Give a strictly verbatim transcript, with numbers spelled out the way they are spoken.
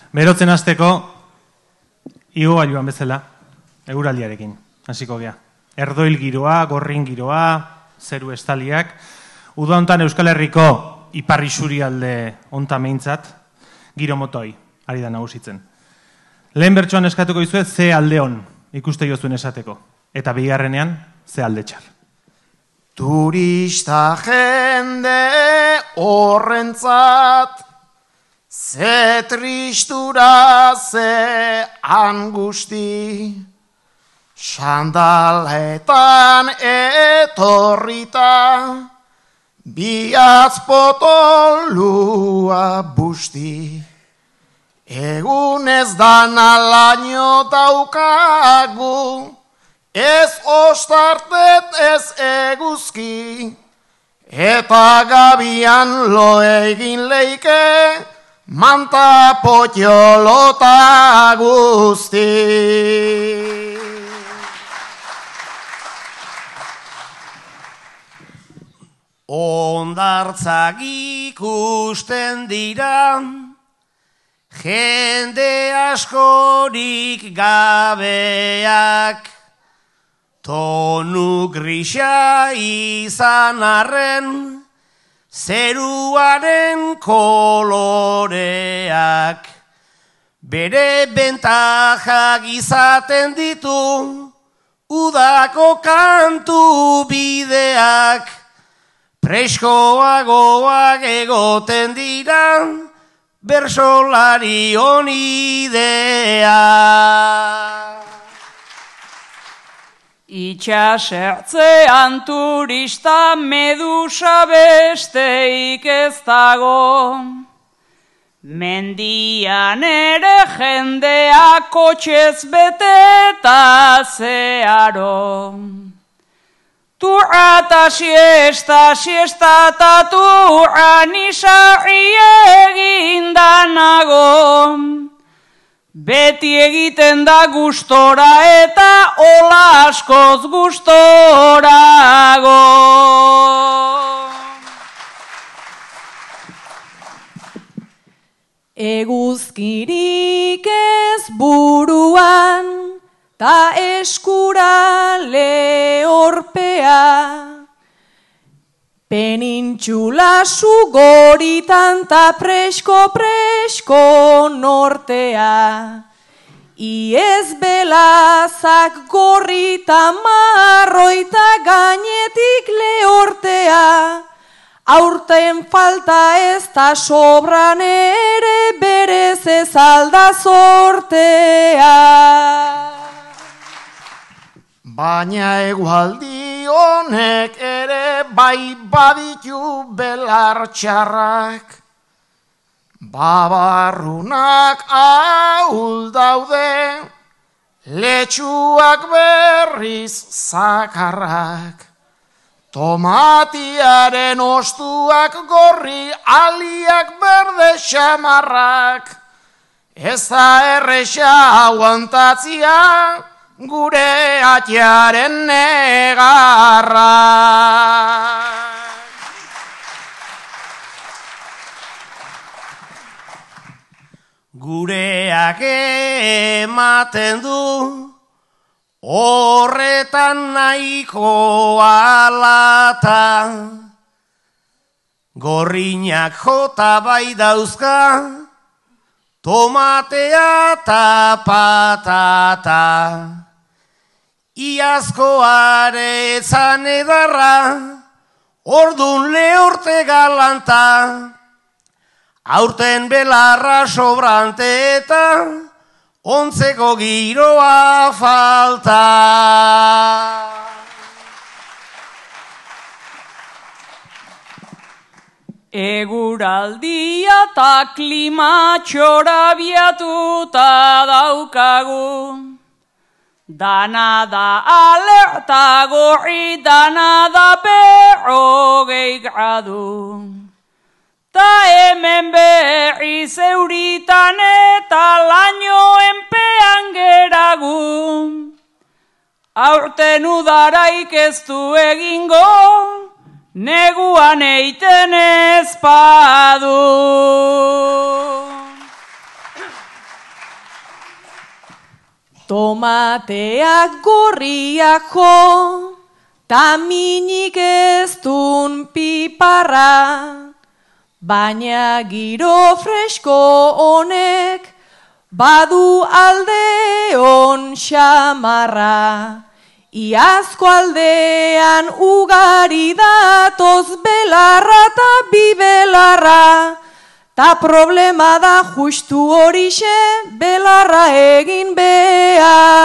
Berotzen hasteko, igo gailuan bezala, eguraldiarekin, hasiko gea. Erdoil giroa, gorrin giroa, zeru estaliak, uda hontan Euskal Herriko ipar isurialde honta meintzat, giro motoi, ari da nagusitzen. Lehen bertsoan eskatuko dizuet, ze alde hon ikuste jozuen esateko, eta bigarrenean, ze alde txar. Turista jende horrentzat, ze tristura, ze angusti, sandaletan etorrita, biatz potolua busti. Egun ez dana laino daukagu, ez ostartet ez eguzki, eta gabian lo egin leike, manta potxolota guzti. Ondartzak ikusten dira, jende askorik gabeak, tonu grisa izan arren, zeruaren koloreak, bere bentajak izaten ditu, udako kantu bideak, preskoagoak egoten dira, bersolari onidea. Itxasertzean turista medusa besteik ez dago, mendian ere jendea kotxez beteta zeharo. Turra eta siesta, siesta eta turra nisarri eginda nago. Beti egiten da gustora eta hola askoz gustorago. Eguzkirik ez buruan, ta eskura lehorpea, penintxula sugoritan ta presko-presko nortea. Iez belazak gorrita marroita gainetik lehortea, aurten falta ez da sobran ere berez ez alda sortea. Baina egualdi honek ere bai baditu belar txarrak, babarrunak ahul daude, letxuak berriz zakarrak, tomatiaren ostuak gorri, aliak berde xamarrak, ez da erresa aguantatzia, gure atiaren negarra. Gureak ematen du, horretan nahiko alata, gorriñak jota bai dauzka, tomatea eta patata. Iazkoare etzan edarra, ordun lehorte galanta, aurten belarra sobrante eta ontzeko giroa falta. Eguraldia eta klima txorabiatuta daukagu, dana da alerta gorri, dana da berrogei gradu. Ta hemen berri zeuritan eta laino enpean geragu. Aurten udaraik ez du egingo, neguan eiten ez badu. Tomateak gorriak jo, ta minik ez dun piparra, baina giro fresko honek badu alde on xamarra. Iazko aldean ugari datoz belarra ta bibelarra, ta problema da justu horixe belarra egin behar.